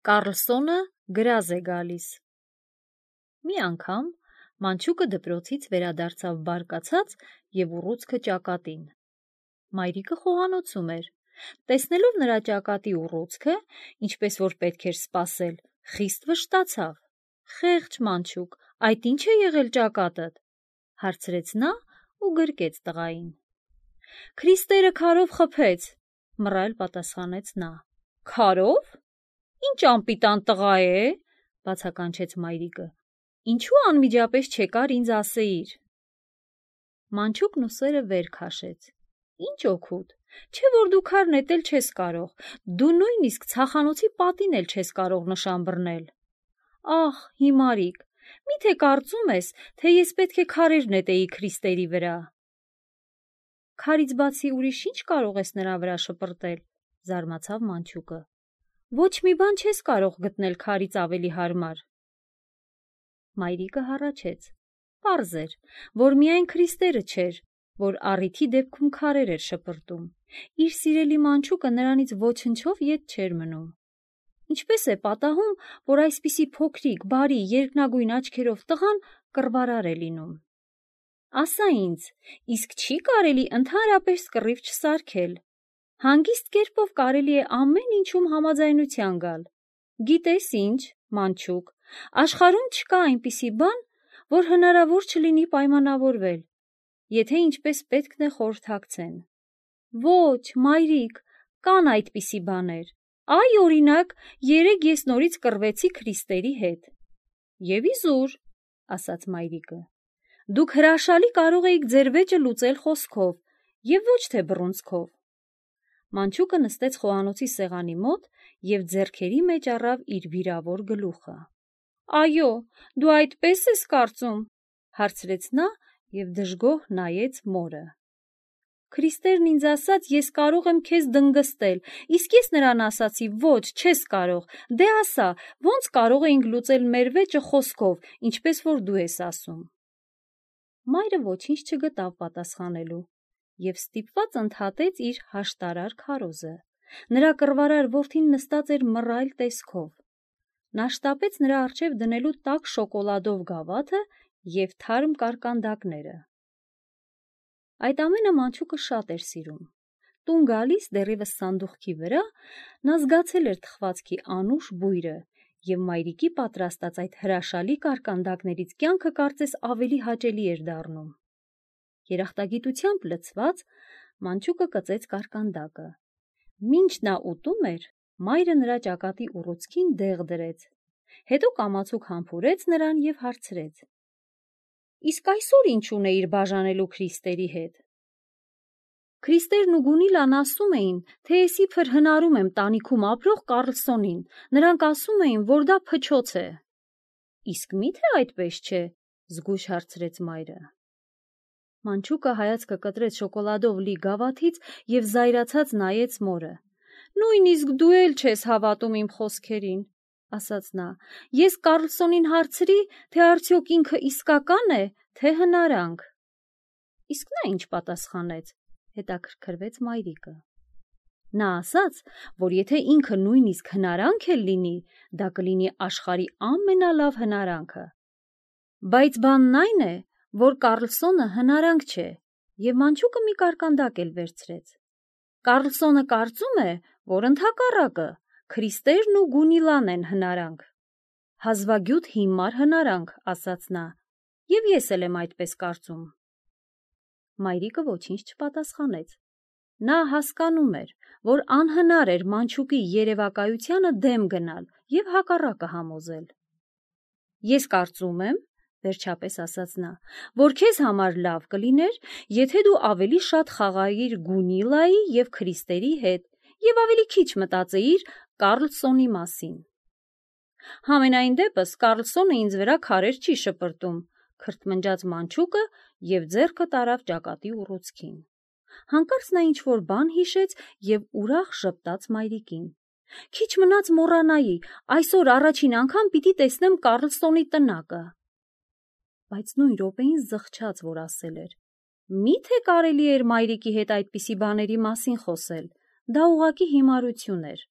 Կառլսոնը գրազ է գալիս։ Մի անգամ մանչուկը դպրոցից վերադարձավ բարկացած և ուռուցքը ճակատին։ Մայրիկը խոհանոցում էր։ Տեսնելով նրա ճակատի ուռուցքը, ինչպես որ պետք էր սպասել, խիստ վշտացավ։ «Խեղճ մանչուկ, այդ ի՞նչ է եղել ճակատդ», հարցրեց նա ու գրկեց տղային։ «Քրիստերը քարով խփեց», մռայլ պատասխանեց նա։ «Քարով։ Ինչ անպիտան տղա է», բացականչեց մայրիկը։ «Ինչու անմիջապես չեկար ինձ ասեիր»։ Մանչուկն ուսերը վեր քաշեց։ «Ինչ օգուտ, չէ՞ որ դու քար նետել չես կարող, դու նույնիսկ ցախանոցի պատին էլ չես կարող նշան բռնել։ Ահ, հիմարիկ, միթե կարծում ես, թե ես պետք է քարեր նետեի Քրիստերի վրա։ Քարից բացի ուրիշ ինչ կարող ես նրա վրա շպրտել», զարմացավ մանչուկը։ «Ոչ մի բան չես կարող գտնել քարից ավելի հարմար»։ Մայրիկը հառաչեց։ Պարզ էր, որ միայն Քրիստերը չէր, որ առիթի դեպքում քարեր էր շպրտում։ Իր սիրելի մանչուկը նրանից ոչնչով ետ չէր մնում։ Ինչպես է պատահում, որ այսպիսի փոքրիկ, բարի, երկնագույն աչքերով տղան կռվարար է լինում։ Ասա ինձ, իսկ չի՞ կարելի ընդհանրապես կռիվ չսարքել։ Հանգիստ կերպով կարելի է ամեն ինչում համաձայնության գալ։ Գիտես ինչ, մանչուկ, աշխարհում չկա այնպիսի բան, որ հնարավոր չլինի պայմանավորվել, եթե ինչպես պետքն է խորհրդակցեն։ Ոչ, մայրիկ, կան այդպիսի բաներ։ Այ, օրինակ, երեկ ես նորից կռվեցի Քրիստերի հետ։ Եվ իզուր, ասաց մայրիկը, դուք հրաշալի կարող էիք ձեր վեճը լուծել խոսքով և ոչ թե բռունցքով։ Մանչուկը նստեց խոհանոցի սեղանի մոտ և ձեռքերի մեջ առավ իր վիրավոր գլուխը։ Այո, դու այդպես ես կարծում, հարցրեց նա և դժգոհ նայեց մորը։ Քրիստերն ինձ ասաց, ես կարող եմ քեզ դնգստել, իսկ ես նրան ասացի, ոչ, չես կարող, դե ասա, ոնց կարող էինք լուծել մեր վեճը խոսքով, ինչպես որ դու ես ասում։ Մայրը ոչինչ չգտավ պատասխանելու և ստիպված ընդհատեց իր հաշտարար քարոզը։ Նրա կռվարար որդին նստած էր մռայլ տեսքով։ Նա շտապեց նրա առջև դնելու տաք շոկոլադով գավաթը և թարմ կարկանդակները։ Այդ ամենը մանչուկը շատ էր սիրում։ Տուն գալիս դեռևս սանդուղքի վրա նա զգացել էր թխվածքի անուշ բույրը և մայրիկի պատրաստած այդ հրաշալի կարկանդակներից կյանքը կարծես ավելի հաճելի էր դառնում։ Երախտագիտությամբ լցված, մանչուկը կծեց կարկանդակը։ Մինչ նա ուտում էր, մայրը նրա ճակատի ուռուցքին դեղ դրեց։ Հետո կամացուկ համբուրեց նրան և հարցրեց. Իսկ այսօր ինչ ունեիր բաժանելու Քրիստերի հետ։ Քրիստերն ու Գունիլան ասում էին, թե ես իբր հնարում եմ տանիքում ապրող Կառլսոնին, նրանք ասում էին, որ դա փչոց է։ Իսկ մի՞թե այդպես չէ, զգույշ հարցրեց մայրը։ Մանչուկը հայացքը կտրեց շոկոլադով լի գավաթից և զայրացած նայեց մորը։ Նույնիսկ դու էլ չես հավատում իմ խոսքերին, ասաց նա։ Ես Կառլսոնին հարցրի, թե արդյոք ինքը իսկական է, թե հնարանք։ Իսկ նա ինչ պատասխանեց, հետաքրքրվեց մայրիկը։ Նա ասաց, որ եթե ինքը նույնիսկ հնարանք էլ լինի, դա կլինի աշխարհի ամենալավ հնարանքը։ Բայց բանն այն է, որ Կառլսոնը հնարանք չէ, և մանչուկը մի կարկանդակ էլ վերցրեց։ Կառլսոնը կարծում է, որ ընդհակառակը Քրիստերն ու Գունիլան են հնարանք։ Հազվագյուտ հիմար հնարանք, ասաց նա, և ես էլ եմ այդպես կարծում։ Մայրիկը ոչինչ չպատասխանեց։ Նա հասկանում էր, որ անհնար էր մանչուկի երևակայությանը դեմ գնալ և հակառակը համոզել։ Ես կարծում եմ, վերջապես ասաց նա, որ քեզ համար լավ կլիներ, եթե դու ավելի շատ խաղայիր Գունիլայի և Քրիստերի հետ և ավելի քիչ մտածեիր Կառլսոնի մասին։ Համենայն դեպս Կառլսոնը ինձ վրա քարեր չի շպրտում, քրթմնջաց մանչուկը և ձեռքը տարավ ճակատի ուռուցքին։ Հանկարծ նա ինչ-որ բան հիշեց և ուրախ ժպտաց մայրիկին։ Քիչ մնաց մոռանայի, այսօր առաջին անգամ պիտի տեսնեմ Կառլսոնի տնակը։ Բայց նույն րոպեին զղջաց, որ ասել էր. Մի՞թե կարելի էր մայրիկի հետ այդպիսի բաների մասին խոսել, դա ուղղակի հիմարություն էր։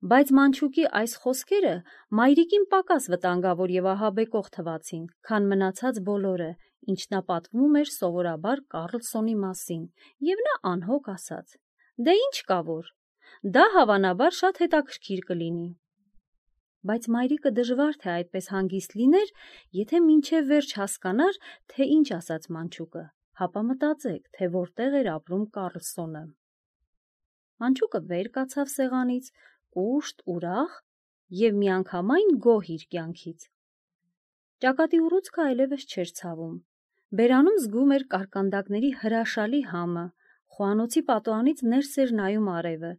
Բայց Մանչուկի այս խոսքերը մայրիկին պակաս վտանգավոր և ահաբեկող թվացին, քան մնացած բոլորը, ինչ նա պատմում էր սովորաբար Կառլսոնի մասին, և նա անհոգ ասաց. «Դե ինչ կա որ, դա հավանաբար շատ հետաքրքիր կլինի»։ Բայց մայրիկը դժվար թե այդպես հանգիստ լիներ, եթե մինչև վերջ հասկանար, թե ինչ ասաց Մանչուկը, հապա մտածեք, թե որտեղ էր ապրում Կառլսոնը։ Մանչուկը վեր կացավ սեղանից, կուշտ, ուրախ և միանգամայն գոհ իր կյանքից։ Ճակատի ուռուցքը այլևս չէր ցավում։ Բերանում զգում էր կարկանդակների հրաշալի համը, խոհանոցի պատուհանից ներս էր նայում արևը,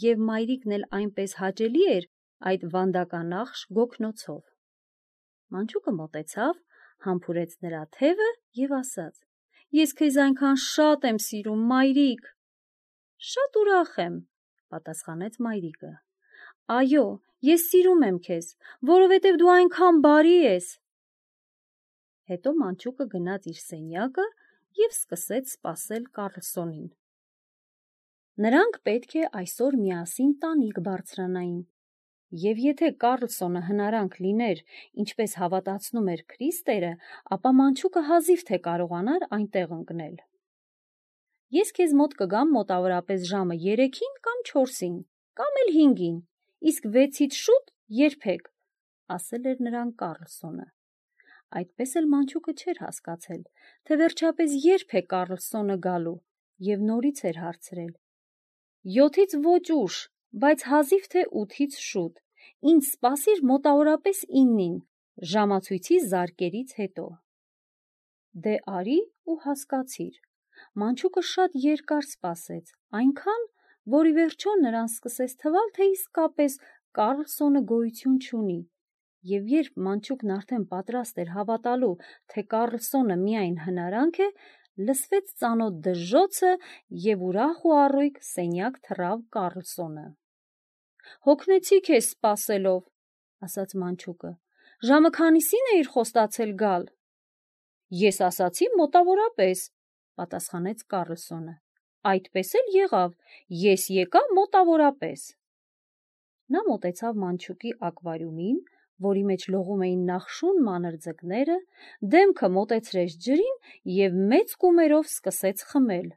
և մայրիկն էլ այնպես հաճելի էր այդ վանդականախշ գոգնոցով։ Մանչուկը մոտեցավ, համբուրեց նրա թևը և ասաց. «Ես քեզ այնքան շատ եմ սիրում, մայրիկ»։ «Շատ ուրախ եմ», պատասխանեց մայրիկը։ «Այո, ես սիրում եմ քեզ, որովհետև դու այնքան բարի ես»։ Հետո Մանչուկը գնաց իր սենյակը և սկսեց սպասել Կառլսոնին։ Նրանք պետք է այսօր միասին տանիք բարձրանային, և եթե Կառլսոնը հնարանք լիներ, ինչպես հավատացնում էր Քրիստերը, ապա Մանչուկը հազիվ թե կարողանար այնտեղ ընկնել։ «Ես քեզ մոտ կգամ մոտավորապես ժամը 3-ին կամ 4-ին, կամ էլ 5-ին, իսկ 6-ից շուտ երբեք», ասել էր նրան Կառլսոնը։ Այդպես էլ Մանչուկը չէր հասկացել, թե վերջապես երբ է Կառլսոնը գալու, և նորից էր հարցրել. «7-ից ոչ ուշ, բայց հազիվ թե 8-ից շուտ, ինձ սպասիր մոտավորապես 9-ին, ժամացույցի զարկերից հետո»։ Դե արի ու հասկացիր։ Մանչուկը շատ երկար սպասեց, այնքան, որ ի վերջո նրան սկսեց թվալ, թե իսկապես Կառլսոնը գոյություն չունի, և երբ Մանչուկն արդեն պատրաստ էր հավատալու, թե Կառլսոնը միայն հնարանք է, լսվեց ծանոթ դժոխքը և ուրախ ու առույգ սենյակ թռավ Կառլսոնը։ «Հոգնեցի քեզ սպասելով», ասաց Մանչուկը։ «Ժամը քանիսին էիր խոստացել գալ»։ «Ես ասացի մոտավորապես», պատասխանեց Կառլսոնը։ «Այդպես էլ եղավ, ես եկա մոտավորապես»։ Նա մոտեցավ Մանչուկի ակվարիումին, որի մեջ լողում էին նախշուն մանր ձկները, դեմքը մոտեցրեց ջրին և մեծ կումերով սկսեց խմել։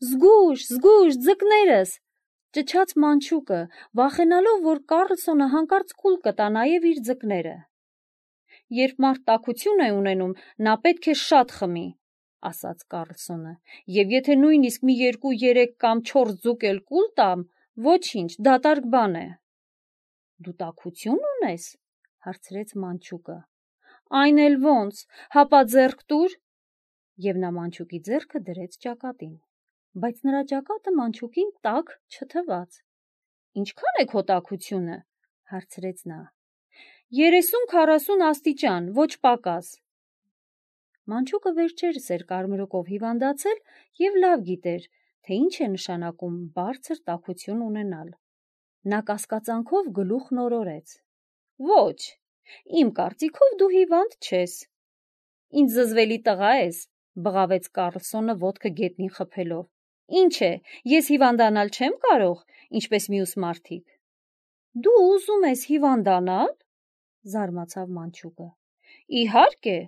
«Զգույշ, զգույշ, ձկներս», ճչաց Մանչուկը, վախենալով, որ Կառլսոնը հանկարծ կուլ կտա նաև իր ձկները։ «Երբ մարդ տաքություն է ունենում, նա պետք է շատ խմի», ասաց Կառլսոնը, «և եթե նույնիսկ մի 2-3 կամ 4 ձուկ էլ կուլ տամ, ոչինչ, դատարկ բան է»։ «Դու տաքություն ունես», հարցրեց Մանչուկը։ «Այն էլ ոնց, հապա ձեռք տուր», և նա Մանչուկի ձեռքը դրեց ճակատին, բայց նրա ճակատը Մանչուկին տաք չթվաց։ «Ինչքան է քո տաքությունը», հարցրեց նա։ 30-40 աստիճան, ոչ պակաս։ Մանչուկը վերջերս էր կարմրուկով հիվանդացել և լավ գիտեր, թե ինչ է նշանակում բարձր տաքություն ունենալ։ Նա կասկածանքով գլուխն օրորեց։ «Ոչ, իմ կարծիքով դու հիվանդ չես»։ «Ինչ զզվելի տղա ես», բղավեց Կառլսոնը ոտքը գետնին խփելով։ «Ինչ է, ես հիվանդանալ չեմ կարող, ինչպես մյուս մարդիկ»։ «Դու ուզում ես հիվանդանալ», զարմացավ Մանչուկը։ «Իհարկե,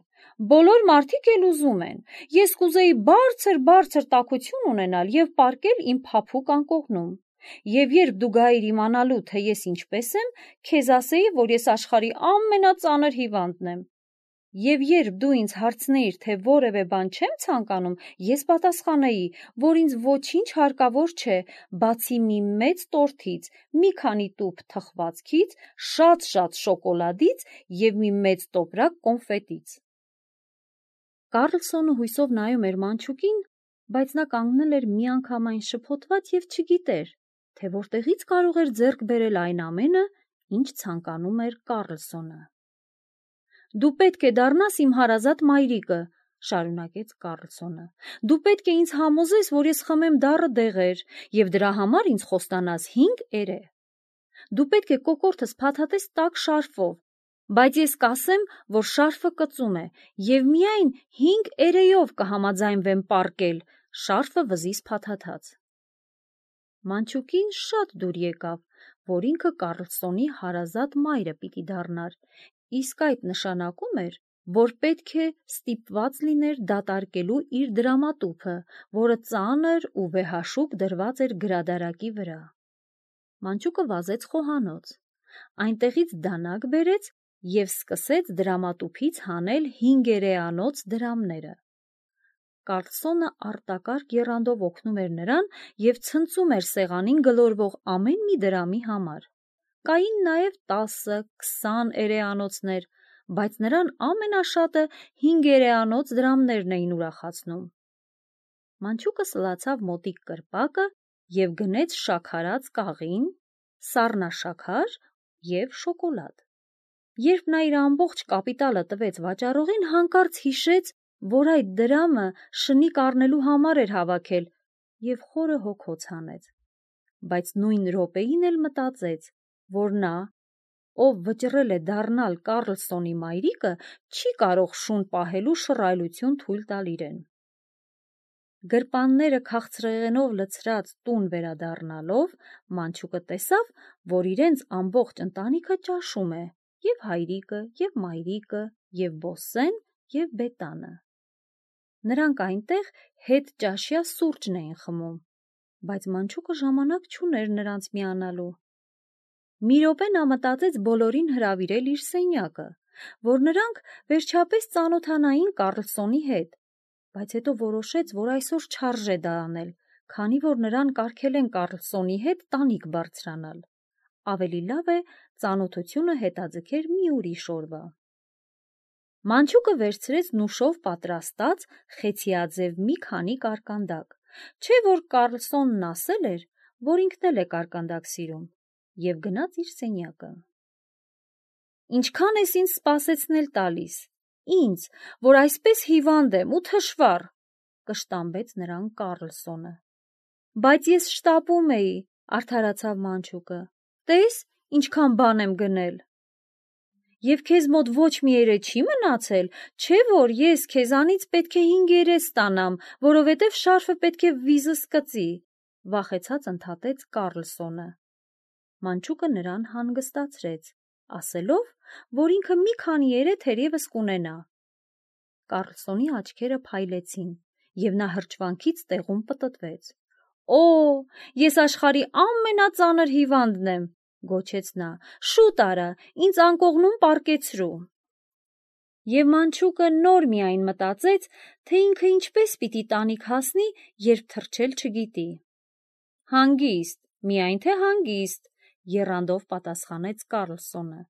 բոլոր մարդիկ էլ ուզում են։ Ես կուզեի բարձր տաքություն ունենալ և պառկել իմ փափուկ անկողնում։ Եվ երբ դու գայիր իմանալու, թե ես ինչպես եմ, քեզ ասեի, որ ես աշխարհի ամենածանր հիվանդն եմ։ Եվ երբ դու ինձ հարցնեիր, թե որևէ բան չեմ ցանկանում, ես պատասխանեի, որ ինձ ոչինչ հարկավոր չէ, բացի մի մեծ տորթից, մի քանի տուփ թխվածքից, շատ շոկոլադից և մի մեծ տոպրակ կոնֆետից»։ Կառլսոնը հույսով նայում էր Մանչուկին, բայց նա կանգնել էր միանգամայն շփոթված և չգիտեր, թե որտեղից կարող էր ձեռք բերել այն ամենը, ինչ ցանկանում էր Կառլսոնը։ «Դու պետք է դառնաս իմ հարազատ մայրիկը», շարունակեց Կառլսոնը։ «Դու պետք է ինձ համոզես, որ ես խմեմ դառը դեղեր, և դրա համար ինձ խոստանաս 5 էրե։ Դու պետք է կոկորդս փաթաթես տաք շարֆով, բայց ես կասեմ, որ շարֆը կծում է, և միայն 5 էրեով կհամաձայնվեմ պառկել, շարֆը վզիս փաթաթած»։ Մանչուկին շատ դուր եկավ, որ ինքը Կարլսոնի հարազատ մայրը պիտի դառնար, իսկ այդ նշանակում էր, որ պետք է ստիպված լիներ դատարկելու իր դրամատուփը, որը ծանր ու վեհաշուկ դրված էր գրադարակի վրա։ Մանչուկը վազեց խոհանոց, այնտեղից դանակ բերեց և սկսեց դրամատուփից հանել 5 դրամները։ Կարլսոնը արտակարգ եռանդով օգնում էր նրան և ցնծում էր սեղանին գլորվող ամեն մի դրամի համար։ Կային նաև 10-20 էրեանոցներ, բայց նրան ամենաշատը 5 դրամներն էին ուրախացնում։ Մանչուկը սլացավ մոտիկ կրպակը և գնեց շաքարած կաղին, սառնաշաքար և շոկոլադ։ Երբ նա իր ամբողջ կապիտալը տվեց վաճառողին, հանկարծ հիշեց, որ այդ դրամը շնիկ առնելու համար էր հավաքել և խորը հոգոց հանեց, բայց նույն րոպեին էլ մտածեց, որ նա, ով վճռել է դառնալ Կարլսոնի մայրիկը, չի կարող շուն պահելու շռայլություն թույլ տալ իրեն։ Գրպանները քաղցրեղենով լցրած տուն վերադառնալով, Մանչուկը տեսավ, որ իրենց ամբողջ ընտանիքը ճաշում է, և հայրիկը, և մայրիկը, և Բոսսեն, և Բետանը։ Նրանք այնտեղ հետճաշյա սուրճն էին խմում, բայց Մանչուկը ժամանակ չուներ նրանց միանալու։ Մի րոպե նա մտածեց բոլորին հրավիրել իր սենյակը, որ նրանք վերջապես ծանոթանային Կարլսոնի հետ, բայց հետո որոշեց, որ այսօր չարժե դա անել, քանի որ նրան կարգել են Կարլսոնի հետ տանիք բարձրանալ։ Ավելի լավ է ծանոթությունը հետաձգեր մի ուրիշ օրվա։ Մանչուկը վերցրեց նուշով պատրաստած խեցիաձև մի քանի կարկանդակ, չէ որ Կարլսոնն ասել էր, որ ինքն էլ է կարկանդակ սիրում, և գնաց իր սենյակը։ «Ինչքան ես ինձ սպասեցնել տալիս, ինձ, որ այսպես հիվանդ եմ ու թշվառ», կշտամբեց նրան Կարլսոնը։ «Բայց ես շտապում էի», արդարացավ Մանչուկը, «տես, ինչքան բան եմ գնել»։ «Եվ քեզ մոտ ոչ մի երե չի մնացել, չէ՞ որ ես քեզանից պետք է 5 երես ստանամ, որովհետև շարֆը պետք է վիզս կծի», վախեցած ընդհատեց Կարլսոնը։ Մանչուկը նրան հանգստացրեց, ասելով, որ ինքը մի քանի երե թերևս կունենա։ Կարլսոնի աչքերը փայլեցին, և նա հրճվանքից տեղում պտտվեց։ «Օ, ես աշխարհի ամենածանր հիվանդն եմ», գոչեց նա, «շուտ արա, ինձ անկողնում պառկեցրու»։ Եվ Մանչուկը նոր միայն մտածեց, թե ինքը ինչպես պիտի տանիք հասնի, երբ թռչել չգիտի։ «Հանգիստ, միայն թե հանգիստ», եռանդով պատասխանեց Կարլսոնը։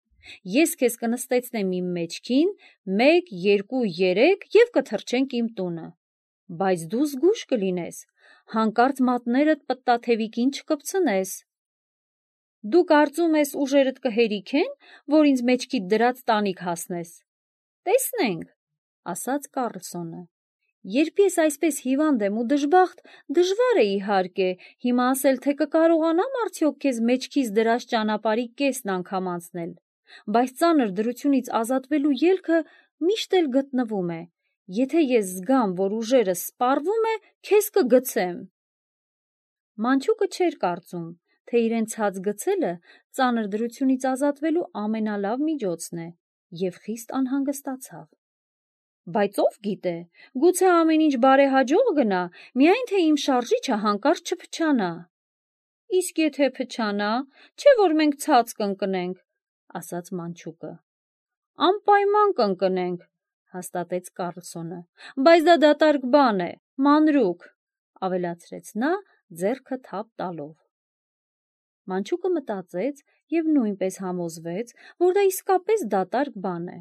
«Ես քեզ կնստեցնեմ իմ մեջքին, 1, 2, 3 և կթռչենք իմ տունը։ Բայց դու զգույշ կլինես, հանկարծ մատներդ պտտաթևիկին չկպցնես։ Դու կարծում ես ուժերդ կհերիքեն, որ ինձ մեջքիդ դրած տանիք հասնես։ Տեսնենք», ասաց Կարլսոնը։ «Երբ ես այսպես հիվանդ եմ ու դժբախտ, դժվար է իհարկե հիմա ասել, թե կկարողանամ արդյոք քեզ մեջքիս դրած ճանապարհի կեսն անգամ անցնել, բայց ծանր դրությունից ազատվելու ելքը միշտ էլ գտնվում է։ Եթե ես զգամ, որ ուժերս սպառվում է, քեզ կգցեմ»։ Մանչուկը չէր կարծում, թե իրեն ցած գցելը ծանր դրությունից ազատվելու ամենալավ միջոցն է, և խիստ անհանգստացավ։ «Բայց ով գիտե, գուցե ամեն ինչ բարեհաջող գնա, միայն թե իմ շարժիչը հանկարծ չփչանա»։ «Իսկ եթե փչանա, չէ՞ որ մենք ցած կընկնենք», ասաց Մանչուկը։ «Անպայման կընկնենք», հաստատեց Կարլսոնը, «բայց դա դատարկ բան է, մանրուք», ավելացրեց նա, ձեռքը թափ տալով։ Մանչուկը մտածեց և նույնպես համոզվեց, որ դա իսկապես դատարկ բան է։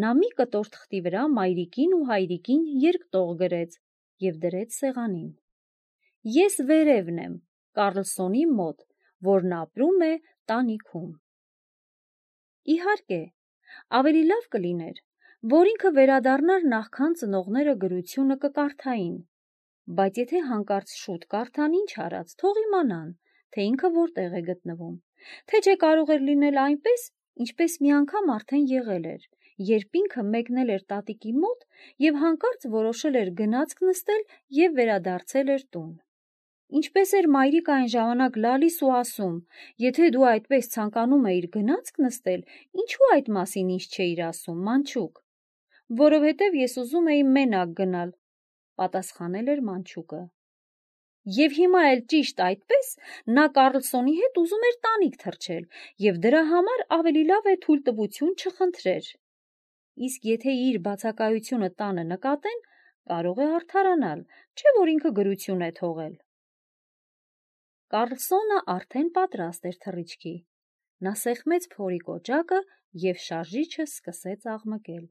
Նա մի կտոր թղթի վրա մայրիկին ու հայրիկին երկտող գրեց և դրեց սեղանին։ «Ես վերևն եմ, Կարլսոնի մոտ, որն ապրում է տանիքում»։ Իհարկե, ավելի լավ կլիներ, որ ինքը վերադառնար նախքան ծնողները գրությունը կկարդային, բայց եթե հանկարծ շուտ կարդան, ինչ արած, թող իմանան, թե ինքը որտեղ է գտնվում, թե չէ կարող էր լինել այնպես, ինչպես մի անգամ արդեն եղել էր, երբ ինքը մեկնել էր տատիկի մոտ և հանկարծ որոշել էր գնացք նստել և վերադարձել էր տուն։ Ինչպես էր մայրիկը այն ժամանակ լալիս ու ասում. «Եթե դու այդպես ցանկանում էիր գնացք նստել, ինչու այդ մասին ինձ չէիր ասում, մանչուկ»։ «Որովհետև ես ուզում էի մենակ գնալ», պատասխանել էր մանչուկը։ Եվ հիմա էլ ճիշտ այդպես նա Կարլսոնի հետ ուզում էր տանիք թռչել, եւ դրա համար ավելի լավ է թույլտվություն չխնդրեր։ Իսկ եթե իր բացակայությունը տանը նկատեն, կարող է արդարանալ, չէ՞ որ ինքը գրություն է թողել։ Կարլսոնը արդեն պատրաստ էր թռիչքի։ Նա սեղմեց փորի կոճակը եւ շարժիչը սկսեց աղմկել։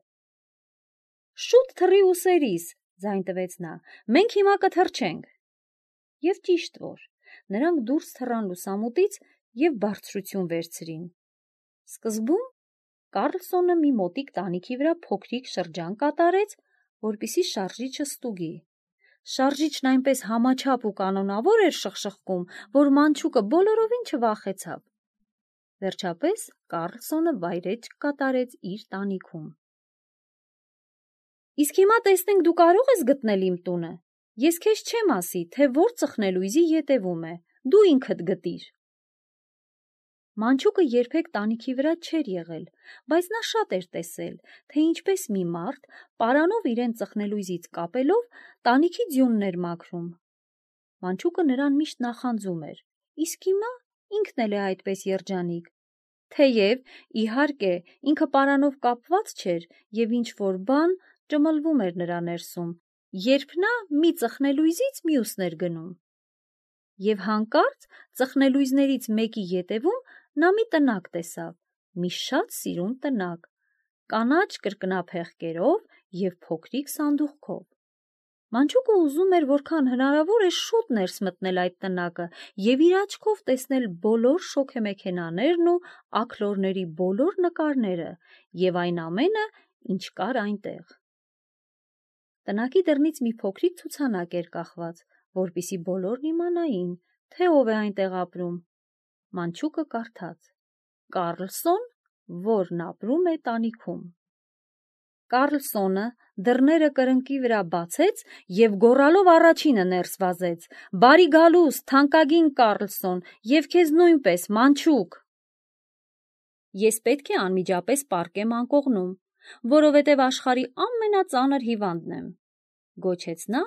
«Շուտ թռի ուսերիս», ձայն տվեց նա, «մենք հիմա կթռչենք»։ Եվ ճիշտ որ, նրանք դուրս թռան լուսամուտից եւ բարձրություն վերցրին։ Սկզբում Կարլսոնը մի մոտիկ տանիքի վրա փոքրիկ շրջան կատարեց, որպեսզի շարժիչը ստուգի։ Շարժիչն այնպես համաչափ ու կանոնավոր էր շխշխկում, որ մանչուկը բոլորովին չվախեցավ։ Վերջապես Կարլսոնը վայրէջք կատարեց իր տանիքում։ «Իսկ հիմա տեսնենք դու կարող ես գտնել իմ տունը։ Ես քեզ չեմ ասի, թե որ ծխնելույզի ետևում է, դու ինքդ գտիր»։ Մանչուկը երբեք տանիքի վրա չէր եղել, բայց նա շատ էր տեսել, թե ինչպես մի մարդ, պարանով իրեն ծխնելույզից կապելով, տանիքի ձյունն էր մաքրում։ Մանչուկը նրան միշտ նախանձում էր, իսկ հիմա ինքն էլ է այդպես երջանիկ։ Թեև, իհարկե, ինքը պարանով կապված չէր եւ ինչ-որ բան ճմլվում էր նրա ներսում, երբ նա մի ծխնելույզից մյուսն էր գնում։ Եվ հանկարծ ծխնելույզներից մեկի ետևում նա մի տնակ տեսավ, մի շատ սիրուն տնակ, կանաչ կրկնափեղկերով եւ փոքրիկ սանդուղքով։ Մանչուկը ուզում էր որքան հնարավոր է շուտ ներս մտնել այդ տնակը եւ իր աչքով տեսնել բոլոր շոգեմեքենաներն ու աքլորների բոլոր նկարները եւ այն ամենը, ինչ կար այնտեղ։ Տնակի դռնից մի փոքրիկ ցուցանակ էր կախված, որպեսզի բոլորն իմանային, թե ով է այնտեղ ապրում։ Մանչուկը կարդաց. Կարլսոն, որն ապրում է տանիքում։ Կարլսոնը դռները կրնկի վրա բացեց եւ գոռալով առաջինը ներս վազեց. «Բարի գալուստ, թանկագին Կարլսոն, եւ քեզ նույնպես, մանչուկ»։ «Ես պետք է անմիջապես պառկեմ անկողնում, որովհետև աշխարհի ամենածանր հիվանդն եմ», գոչեց նա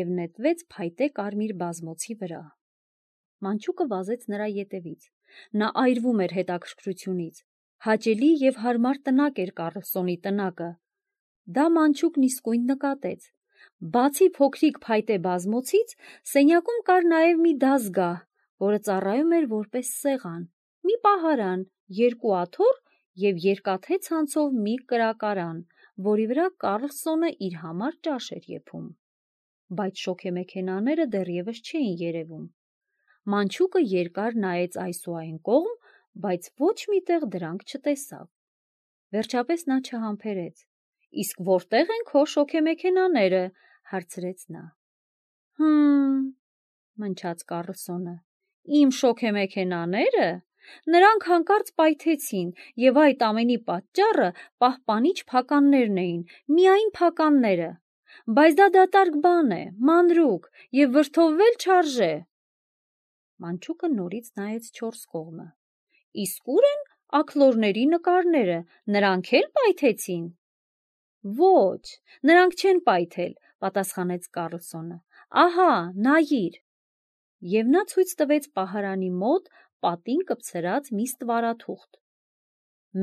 եւ նետվեց փայտե կարմիր բազմոցի վրա։ Մանչուկը վազեց նրա ետևից։ Նա այրվում էր հետաքրքրությունից։ Հաճելի եւ հարմար տնակ էր Կարլսոնի տնակը։ Դա մանչուկն իսկույն նկատեց։ Բացի փոքրիկ փայտե բազմոցից, սենյակում կար նաև մի դազգահ, որը ծառայում էր որպես սեղան, մի պահարան, երկու աթոռ եւ երկաթե ցանցով մի կրակարան, որի վրա Կարլսոնը իր համար ճաշ էր եփում։ Բայց շոգեմեքենաները դեռևս չէին երևում։ Մանչուկը երկար նայեց այս ու այն կողմ, բայց ոչ միտեղ դրանք չտեսավ։ Վերջապես նա չհամբերեց. «Իսկ որտե՞ղ են քո շոգեմեքենաները», հարցրեց նա։ Մնչաց Կարլսոնը։ «Իմ շոգեմեքենաները։ Նրանք հանկարծ պայթեցին, եւ այդ ամենի պատճառը պահպանիչ փականներն էին, միայն փականները։ Բայց դա դատարկ բան է, մանրուք, եւ վրդովվել չարժե»։ Մանչուկը նորից նայեց չորս կողմը։ «Իսկ ուր են աքլորների նկարները, նրանք էլ պայթեցին»։ «Ոչ, նրանք չեն պայթել», պատասխանեց Կարլսոնը։ «Ահա, նայիր»։ Եվ նա ցույց տվեց պահարանի մոտ պատին կպցրած մի ստվարաթուղթ։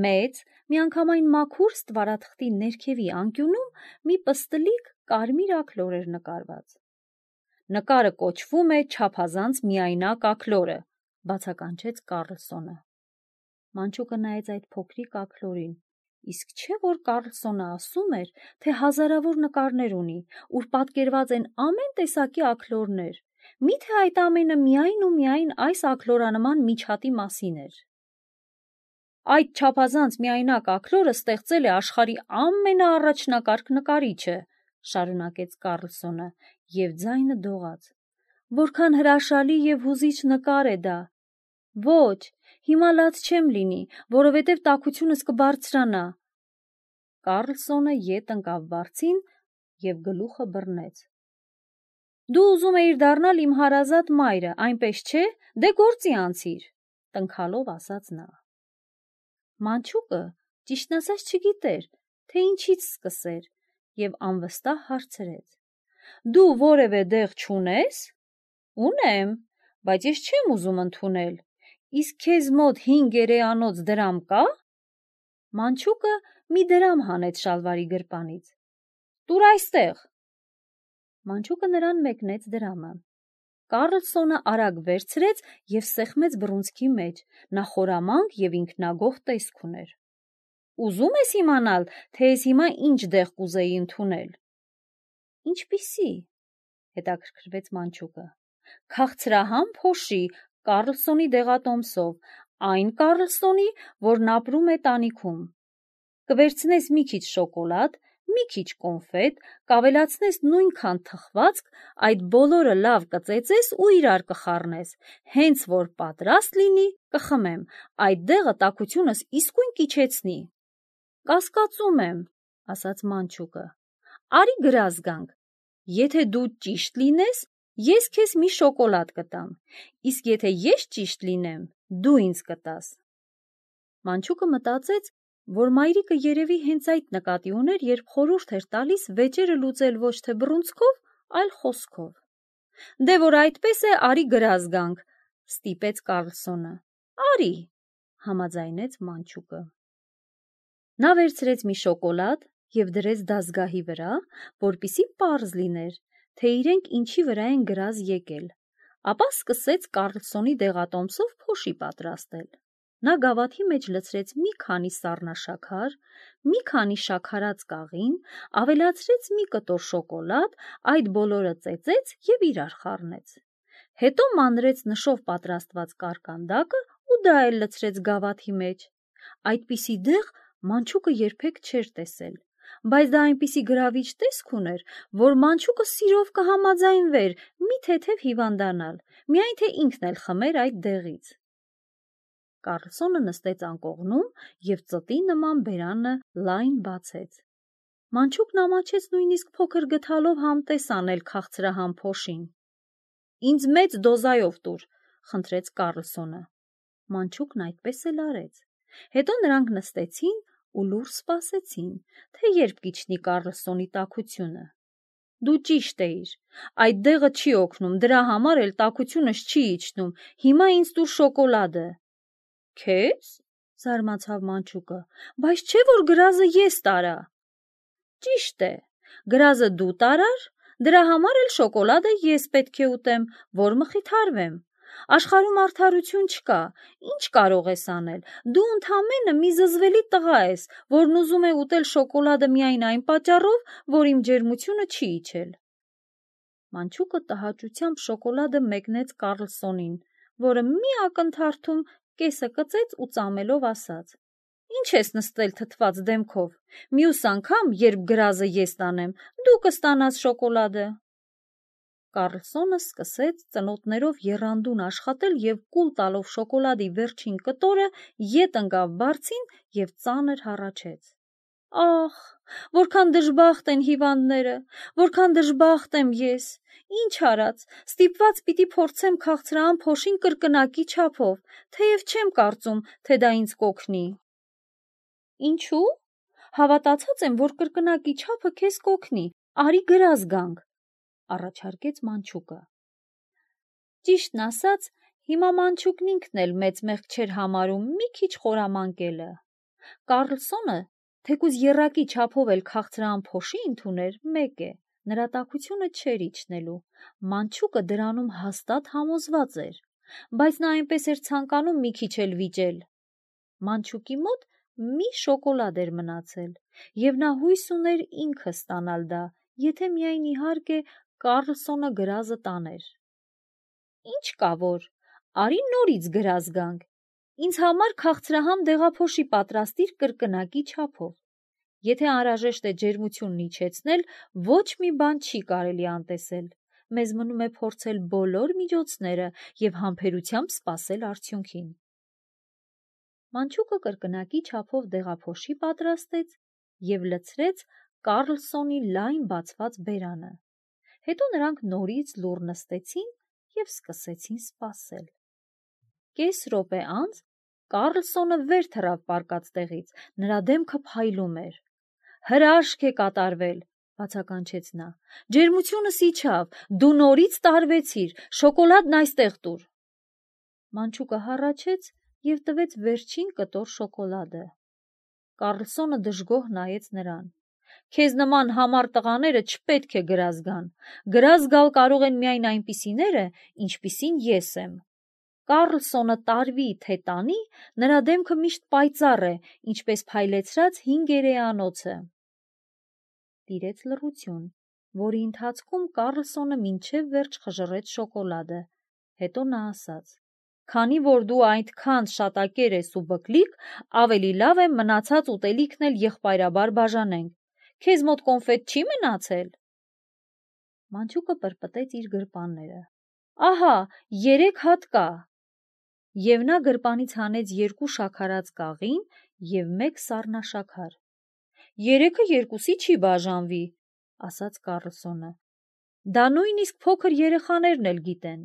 Մեծ, միանգամայն մաքուր ստվարաթղթի ներքևի անկյունում մի պստլիկ կարմիր աքլոր էր նկարված։ «Նկարը կոչվում է չափազանց միայնակ աքլորը», բացականչեց Կարլսոնը։ Մանչուկը նայեց այդ փոքրիկ աքլորին։ Իսկ չէ՞ որ Կարլսոնը ասում էր, թե հազարավոր նկարներ ունի, ուր պատկերված են ամեն տեսակի աքլորներ։ Մի՞թե այդ ամենը միայն ու միայն այս աքլորանման միջատի մասին էր։ «Այդ չափազանց միայնակ աքլորը ստեղծել է աշխարհի ամենաառաջնակարգ նկարիչը», շարունակեց Կարլսոնը, եւ ձայնը դողաց։ «Որքան հրաշալի եւ հուզիչ նկար է դա։ Ոչ, հիմա լաց չեմ լինի, որովհետև տաքությունս կբարձրանա»։ Կարլսոնը ետ ընկավ բարձին եւ գլուխը բռնեց։ Դու ուզում էիր դառնալ իմ հարազատ մայրը, այնպես չէ, դե գործի անցիր, տնքալով ասաց նա։ Մանչուկը ճիշտն ասած չգիտեր, թե ինչից սկսեր, եւ անվստահ հարցրեց. Դու որևէ դեղ չունես։ Ունեմ, բայց ես չեմ ուզում ընդունել։ Իսկ քեզ մոտ 5 գերեանոց դրամ կա։ Մանչուկը մի դրամ հանեց շալվարի գրպանից։ Տուր այստեղ։ Մանչուկը նրան մեկնեց դրամը։ Կարլսոնը արագ վերցրեց եւ սեղմեց բռունցքի մեջ, նա խորամանկ եւ ինքնագոհ տեսք ուներ։ Ուզում ես իմանալ, թե ես հիմա ինչ դեղ կուզեի ընդունել։ Ինչպիսի, հետաքրքրվեց Մանչուկը։ Քաղցրահամ փոշի Կարլսոնի դեղատոմսով, այն Կարլսոնի, որն ապրում է տանիքում։ Կվերցնես մի քիչ շոկոլադ, մի քիչ կոնֆետ, կավելացնես նույնքան թխվածք, այդ բոլորը լավ կծեծես ու իրար կխառնես, հենց որ պատրաստ լինի, կխմեմ, այդ դեղը տաքությունս իսկույն կիջեցնի։ Կասկածում եմ, ասաց Մանչուկը։ Արի գրազ գանք։ Եթե դու ճիշտ լինես, ես քեզ մի շոկոլադ կտամ, իսկ եթե ես ճիշտ լինեմ, դու ինձ կտաս։ Մանչուկը մտածեց, որ մայրիկը երևի հենց այդ նկատի ուներ, երբ խորհուրդ էր տալիս վեճերը լուծել ոչ թե բռունցքով, այլ խոսքով։ Դե որ այդպես է, արի գրազ գանք, ստիպեց Կարլսոնը։ Արի, համաձայնեց Մանչուկը։ Նա վերցրեց մի շոկոլադ եւ դրեց դազգահի վրա, որպիսի պարզ լիներ, թե իրենք ինչի վրա են գրազ եկել, ապա սկսեց Կարլսոնի դեղատոմսով փոշի պատրաստել։ Նա գավաթի մեջ լցրեց մի քանի սառնաշաքար, մի քանի շաքարած կաղին, ավելացրեց մի կտոր շոկոլադ, այդ բոլորը ծեծեց եւ իրար խառնեց։ Հետո մանրեց նշով պատրաստված կարկանդակը ու դա էլ լցրեց գավաթի մեջ։ Այդպիսի դեղ Մանչուկը երբեք չէր տեսել, բայց դա այնպիսի գրավիչ տեսք ուներ, որ Մանչուկը սիրով կհամաձայնվեր մի թեթև հիվանդանալ, միայն թե ինքն էլ խմեր այդ դեղից։ Կարլսոնը նստեց անկողնում եւ ծտի նման բերանը լայն բացեց։ Մանչուկն ամաչեց նույնիսկ փոքր գդալով համտես անել քաղցրահամ փոշին։ Ինձ մեծ դոզայով տուր, խնդրեց Կարլսոնը։ Մանչուկն այդպես էլ արեց։ Հետո նրանք նստեցին ու լուռ սպասեցին, թե երբ կիջնի Կարլսոնի տաքությունը։ Դու ճիշտ էիր, այդ դեղը չի օգնում, դրա համար էլ տաքությունս չի իջնում, հիմա ինձ տուր շոկոլադը։ Քեզ, զարմացավ Մանչուկը, բայց չէ որ գրազը ես տարա։ Ճիշտ է, գրազը դու տարար, դրա համար էլ շոկոլադը ես պետք է ուտեմ, որ մխիթարվեմ։ Աշխարհում արդարություն չկա, ինչ կարող ես անել։ Դու ընդամենը մի զզվելի տղա ես, որն ուզում է ուտել շոկոլադը միայն այն պատճառով, որ իմ ջերմությունը չի իջել։ Մանչուկը տհաճությամբ շոկոլադը մեկնեց Կարլսոնին, որը մի ակնթարթում կեսը կծեց ու ծամելով ասաց. Ինչ ես նստել թթված դեմքով, մյուս անգամ, երբ գրազը ես տանեմ, դու կստանաս շոկոլադը։ Կարլսոնը սկսեց ծնոտներով եռանդուն աշխատել եւ կուլ տալով շոկոլադի վերջին կտորը ետ ընկավ բարձին եւ ծանր հառաչեց։ Ախ, որքան դժբախտ են հիվանդները, որքան դժբախտ եմ ես։ Ինչ արած, ստիպված պիտի փորձեմ քաղցրահամ փոշին կրկնակի չափով, թեև չեմ կարծում, թե դա ինձ կօգնի։ Ինչու՞։ Հավատացած եմ, որ կրկնակի չափը քեզ կօգնի։ Արի գրազ գանք, առաջարկեց Մանչուկը։ Ճիշտն ասած, հիմա Մանչուկն ինքն էլ մեծ մեղք չէր համարում մի քիչ խորամանկելը։ Կարլսոնը, թեկուզ եռակի չափով էլ քաղցրահամ փոշի ընդուներ, մեկ է, նրա տաքությունը չէր իջնելու։ Մանչուկը դրանում հաստատ համոզված էր, բայց նա այնպես էր ցանկանում մի քիչ էլ վիճել։ Մանչուկի մոտ մի շոկոլադ էր մնացել, եւ նա հույս ուներ ինքը ստանալ դա, եթե միայն իհարկե Կարլսոնը գրազը տաներ։ Ինչ կա որ, արի նորից գրազ գանք։ Ինձ համար քաղցրահամ դեղափոշի պատրաստիր կրկնակի չափով։ Եթե անհրաժեշտ է ջերմությունն իջեցնել, ոչ մի բան չի կարելի անտեսել։ Մեզ մնում է փորձել բոլոր միջոցները եւ համբերությամբ սպասել արդյունքին։ Մանչուկը կրկնակի չափով դեղափոշի պատրաստեց եւ լցրեց Կարլսոնի լայն բացված բերանը։ Հետո նրանք նորից լուռ նստեցին և սկսեցին սպասել։ Կես րոպե անց Կարլսոնը վեր թռավ պառկած տեղից, նրա դեմքը փայլում էր։ «Հրաշք է կատարվել», բացականչեց նա։ «Ջերմությունս իջավ, դու նորից տարվեցիր, շոկոլադն այստեղ տուր»։ Մանչուկը հառաչեց և տվեց վերջին կտոր շոկոլադը։ Կարլսոնը դժգոհ նայեց նրան։ «Քեզ նման համառ տղաները չպետք է գրազ գան։ Գրազ գալ կարող են միայն այնպիսիները, ինչպիսին ես եմ»։ Կարլսոնը տարվի թե տանի, նրա դեմքը միշտ պայծառ է, ինչպես փայլեցրած հին գերեանոցը։ Տիրեց լռություն, որի ընթացքում Կարլսոնը մինչև վերջ խժռեց շոկոլադը։ Հետո նա ասաց. «Քանի որ դու այդքան շատակեր ես ու բկլիկ, ավելի լավ է մնացած ուտելիքն էլ եղբայրաբար բաժանենք։ Քեզ մոտ կոնֆետ չի մնացել»։ Մանչուկը պրպտեց իր գրպանները։ «Ահա, 3 հատ կա»։ Եվ նա գրպանից հանեց 2 շաքարած կաղին և 1 սառնաշաքար։ «Երեքը երկուսի չի բաժանվի», ասաց Կարլսոնը։ «Դա նույնիսկ փոքր երեխաներն էլ գիտեն»։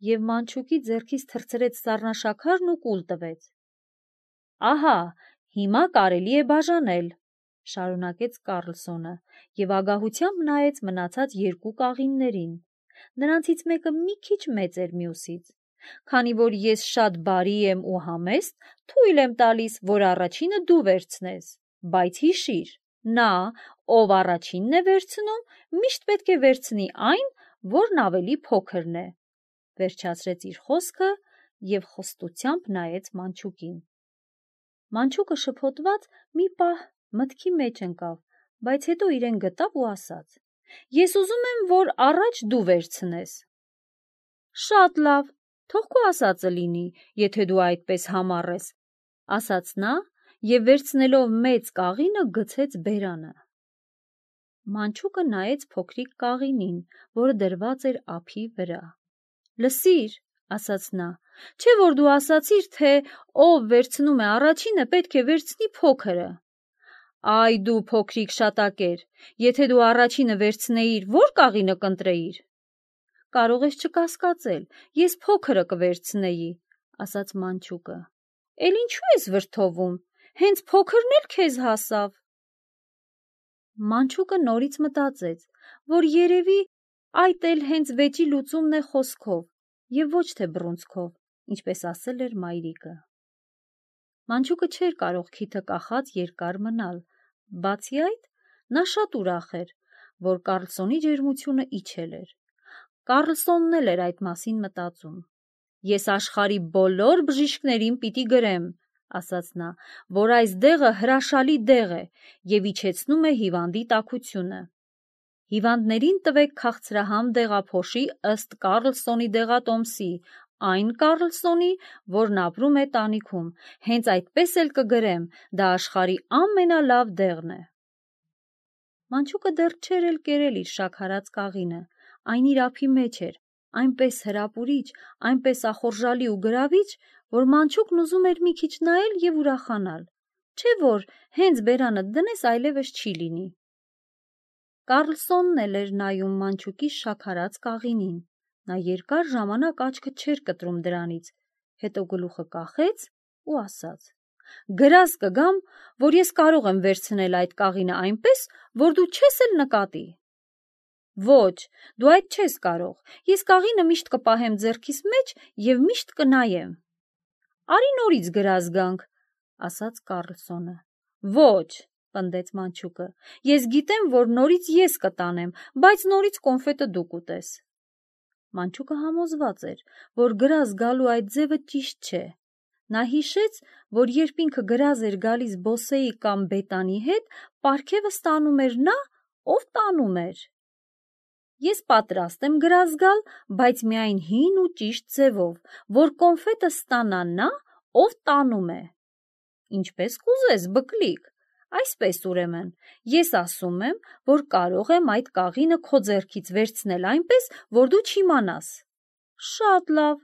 Եվ Մանչուկի ձեռքից թռցրեց սառնաշաքարն ու կուլ տվեց։ «Ահա, հիմա կարելի է բաժանել», շարունակեց Կարլսոնը և ագահությամբ նայեց մնացած 2 կաղիններին։ Նրանցից մեկը մի քիչ մեծ էր մյուսից։ «Քանի որ ես շատ բարի եմ ու համեստ, թույլ եմ տալիս, որ առաջինը դու վերցնես, բայց հիշիր, նա, ով առաջինն է վերցնում, միշտ պետք է վերցնի այն, որն ավելի փոքրն է», վերջացրեց իր խոսքը և խոստությամբ նայեց Մանչուկին։ Մանչուկը շփոթված մի պահ մտքի մեջ ընկավ, բայց հետո իրեն գտավ ու ասաց. «Ես ուզում եմ, որ առաջ դու վերցնես»։ «Շատ լավ, թող քո ասածը լինի, եթե դու այդպես համառ ես», ասաց նա և վերցնելով մեծ կաղինը գցեց բերանը։ Մանչուկը նայեց փոքրիկ կաղինին, որը դրված էր ափի վրա։ «Լսիր», ասաց նա, «չէ՞ որ դու ասացիր, թե ով վերցնում է առաջինը, պետք է վերցնի փոքրը»։ «Այ դու փոքրիկ շատակեր, եթե դու առաջինը վերցնեիր, ո՞ր կաղինը կընտրեիր»։ «Կարող ես չկասկածել, ես փոքրը կվերցնեի», ասաց Մանչուկը։ «Էլ ինչու ես վրդովում, հենց փոքրն էլ քեզ հասավ»։ Մանչուկը նորից մտածեց, որ երևի այդ էլ հենց վեճի լուծումն է խոսքով և ոչ թե բռունցքով, ինչպես ասել էր մայրիկը։ Մանչուկը չէր կարող քիթը կախած երկար մնալ, բացի այդ, նա շատ ուրախ էր, որ Կարլսոնի ջերմությունը իջել էր։ Կարլսոնն էլ էր այդ մասին մտածում։ «Ես աշխարհի բոլոր բժիշկներին պիտի գրեմ», ասաց նա, «որ այս դեղը հրաշալի դեղ է և իջեցնում է հիվանդի տաքությունը։ Հիվանդներին տվեք քաղցրահամ դեղափոշի ըստ Կարլսոնի դեղատոմսի, այն Կարլսոնի, որն ապրում է տանիքում, հենց այդպես էլ կգրեմ, դա աշխարհի ամենալավ դեղն է»։ Մանչուկը դեռ չէր էլ կերել իր շաքարած կաղինը, այն իր ափի մեջ էր, այնպես հրապուրիչ, այնպես ախորժալի ու գրավիչ, որ Մանչուկն ուզում էր մի քիչ նայել և ուրախանալ, չէ՞ որ հենց բերանդ դնես այլևս չի լինի։ Կարլսոնն էլ էր նայում Մանչուկի շաքարած կաղինին։ Նա երկար ժամանակ աչքը չէր կտրում դրանից, հետո գլուխը կախեց ու ասաց. «Գրազ կգամ, որ ես կարող եմ վերցնել այդ կաղինը այնպես, որ դու չես էլ նկատի»։ «Ոչ, դու այդ չես կարող, ես կաղինը միշտ կպահեմ ձեռքիս մեջ և միշտ կնայեմ»։ «Արի նորից գրազ գանք», ասաց Կարլսոնը։ «Ոչ», պնդեց Մանչուկը, «ես գիտեմ, որ նորից ես կտանեմ, բայց նորից կոնֆետը դու կուտես»։ Մանչուկը համոզված էր, որ գրազ գալու այդ ձևը ճիշտ չէ։ Նա հիշեց, որ երբ ինքը գրազ էր գալիս Բոսեի կամ Բետանի հետ, պարգևը ստանում էր նա, ով տանում էր։ «Ես պատրաստ եմ գրազ գալ, բայց միայն հին ու ճիշտ ձևով, որ կոնֆետը ստանա նա, ով տանում է»։ «Ինչպես կուզես, բկլիկ, այսպես ուրեմն, ես ասում եմ, որ կարող եմ այդ կաղինը քո ձեռքից վերցնել այնպես, որ դու չիմանաս»։ «Շատ լավ»,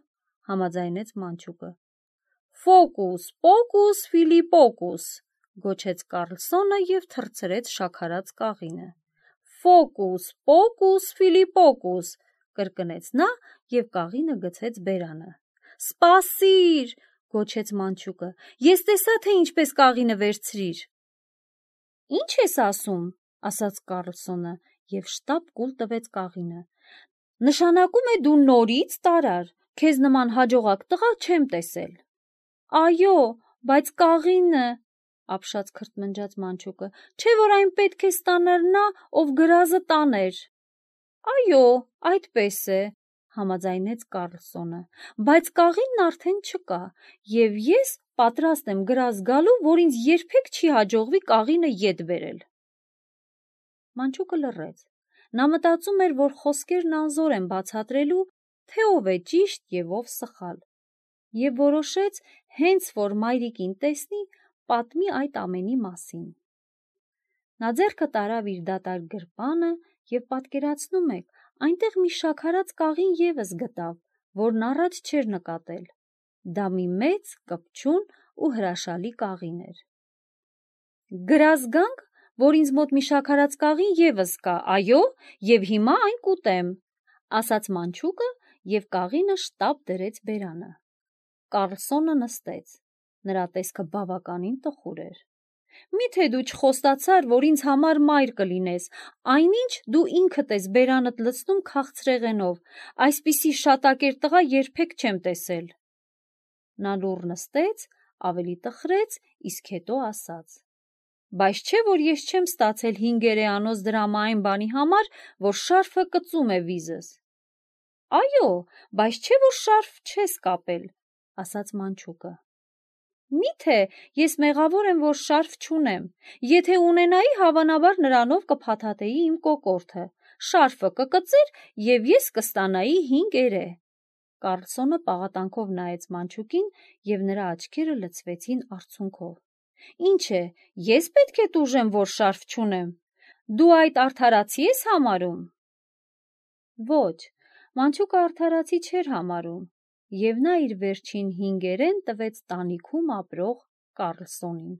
համաձայնեց Մանչուկը։ «Ֆոկուս, պոկուս, ֆիլիպոկուս», գոչեց Կարլսոնը և թռցրեց շաքարած կաղինը։ Ֆոկուս, պոկուս, ֆիլիպոկուս, կրկնեց նա և կաղինը գցեց բերանը։ Սպասիր, գոչեց մանչուկը, ես տեսա, թե ինչպես կաղինը վերցրիր։ Ինչ ես ասում, ասաց Կառլսոնը և շտապ կուլ տվեց կաղինը։ Նշանակում է դու նորից տարար, քեզ նման հաջողակ տղա չեմ տեսել։ Այո, բայց կաղինը, ապշած քրթմնջաց մանչուկը, չէ որ այն պետք է ստանար նա, ով գրազը տաներ։ Այո, այդպես է, համաձայնեց Կառլսոնը, բայց կաղինն արդեն չկա, և ես պատրաստ եմ գրազ գալու, որ ինձ երբեք չի հաջողվի կաղինը ետ բերել։ Մանչուկը լռեց։ Նա մտածում էր, որ խոսքերն անզոր են բացատրելու, թե ով է ճիշտ և ով սխալ, և որոշեց, հենց որ մայրիկին տեսնի, պատմի այդ ամենի մասին։ Նա ձեռքը տարավ իր դատարկ գրպանը և պատկերացնում եք, այնտեղ մի շաքարած կաղին ևս գտավ, որն առաջ չէր նկատել։ Դա մի մեծ, կպչուն ու հրաշալի կաղին էր։ Գրազ գանք, որ ինձ մոտ մի շաքարած կաղին ևս կա, այո, և հիմա այն կուտեմ, ասաց մանչուկը և կաղինը շտապ դրեց բերանը։ Կառլսոնը նստեց։ Նրա տեսքը բավականին տխուր էր։ Միթե դու չխոստացար, որ ինձ համար մայր կլինես, այնինչ դու ինքդ ես բերանդ լցնում քաղցրեղենով, այսպիսի շատակեր տղա երբեք չեմ տեսել։ Նա լուռ նստեց, ավելի տխրեց, իսկ հետո ասաց. Բայց չէ, որ ես չեմ ստացել 5 դրամային բանի համար, որ շարֆը կծում է վիզս։ Այո, բայց չէ, որ շարֆ չես կապել, ասաց մանչուկը։ Միթե ես մեղավոր եմ, որ շարֆ չունեմ, եթե ունենայի, հավանաբար նրանով կփաթաթեի իմ կոկորդը, շարֆը կկծեր և ես կստանայի 5 էրե։ Կառլսոնը պաղատանքով նայեց մանչուկին և նրա աչքերը լցվեցին արցունքով։ Ինչ է, ես պետք է տուժեմ, որ շարֆ չունեմ։ Դու այդ արդարացի ես համարում։ Ոչ, մանչուկը արդարացի չէր համարում, և նա իր վերջին 5 էրեն տվեց տանիքում ապրող Կառլսոնին։